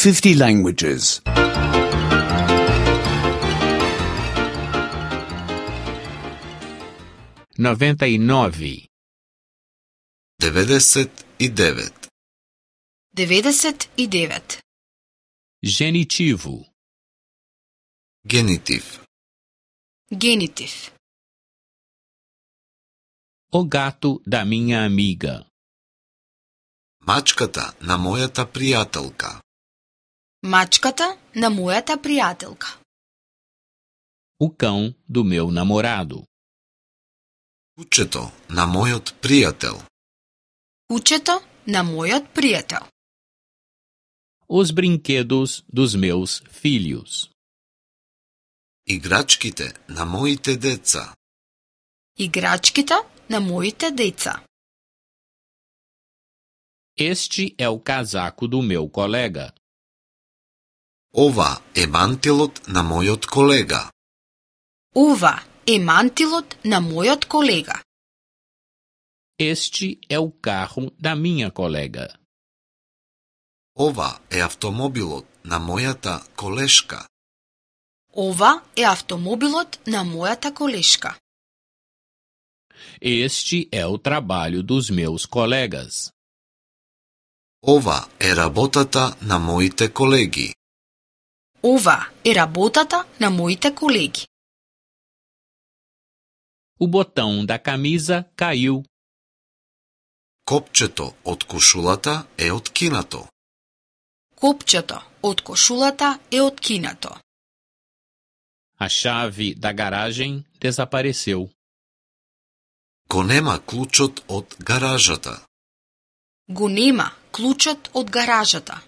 50 languages. 99. 99. 99. Genitivo. Генитив. Генитив. O gato da minha amiga. Мачката на мојата пријателка. Мачката на мојата пријателка. O cão do meu namorado. Кучето на мојот пријател. Кучето на мојот пријател. Os brinquedos dos meus filhos. Играчките на моите деца. Играчките на моите деца. Este é o casaco do meu colega. Ова е мантилот на мојот колега. Ова е мантилот на мојот колега. Este é o carro da minha colega. Ова е автомобилот на мојата колешка. Ова е автомобилот на мојата колешка. Este é o trabalho dos meus colegas. Ова е работата на моите колеги. Ова е работата на моите колеги. O botão da camisa caiu. Копчето од кошулата е откинато. Копчето од кошулата е откинато. A chave da garagem desapareceu. Го нема клучот од гаражата. Го нема клучот од гаражата.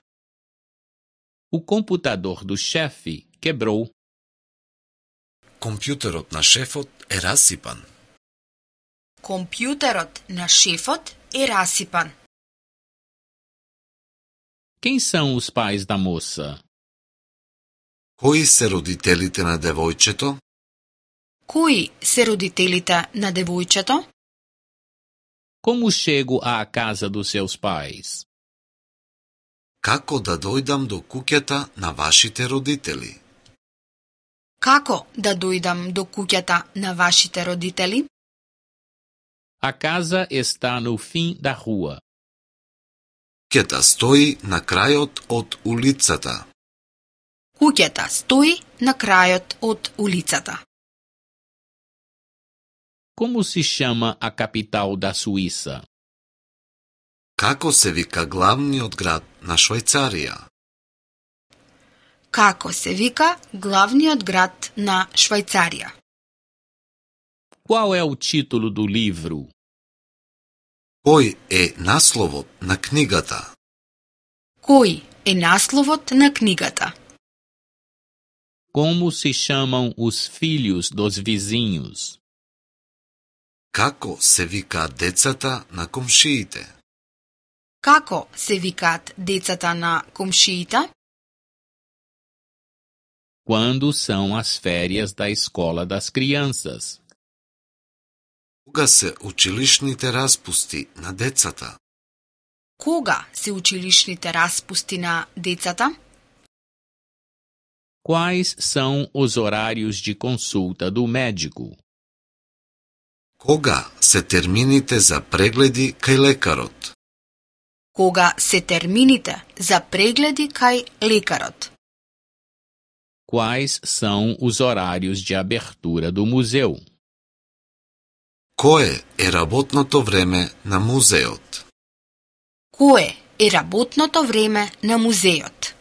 O computador do chefe quebrou. Компјутерот на шефот е расипан. Компјутерот на шефот е расипан. Quem são os pais da moça? Кои се родителите на девојчето? Кои се родителите на девојчето? Como chego à casa dos seus pais? Како да дојдам до куќата на вашите родители? Како да дојдам до куќата на вашите родители? A casa está no fim da rua. Куќата стои на крајот од улицата. Куќата стои на крајот од улицата. Como se chama a capital da Suíça? Како се вика главниот град на Швајцарија? Како се вика главниот град на Швајцарија? Qual é o título do livro? Кој е насловот на книгата? Кој е насловот на книгата? Como se chamam os filhos dos vizinhos? Како се викаат децата на комшиите? Како се викаат децата на комшиите? Quando são as férias da escola das crianças? Кога се училишните распусти на децата? Кога се училишните распусти на децата? Quais são os horários de consulta do médico? Кога се термините за прегледи кај лекарот? Кога се термините за прегледи кај лекарот? Quais são os horários de abertura do museu? Кое е работното време на музеот? Кое е работното време на музеот?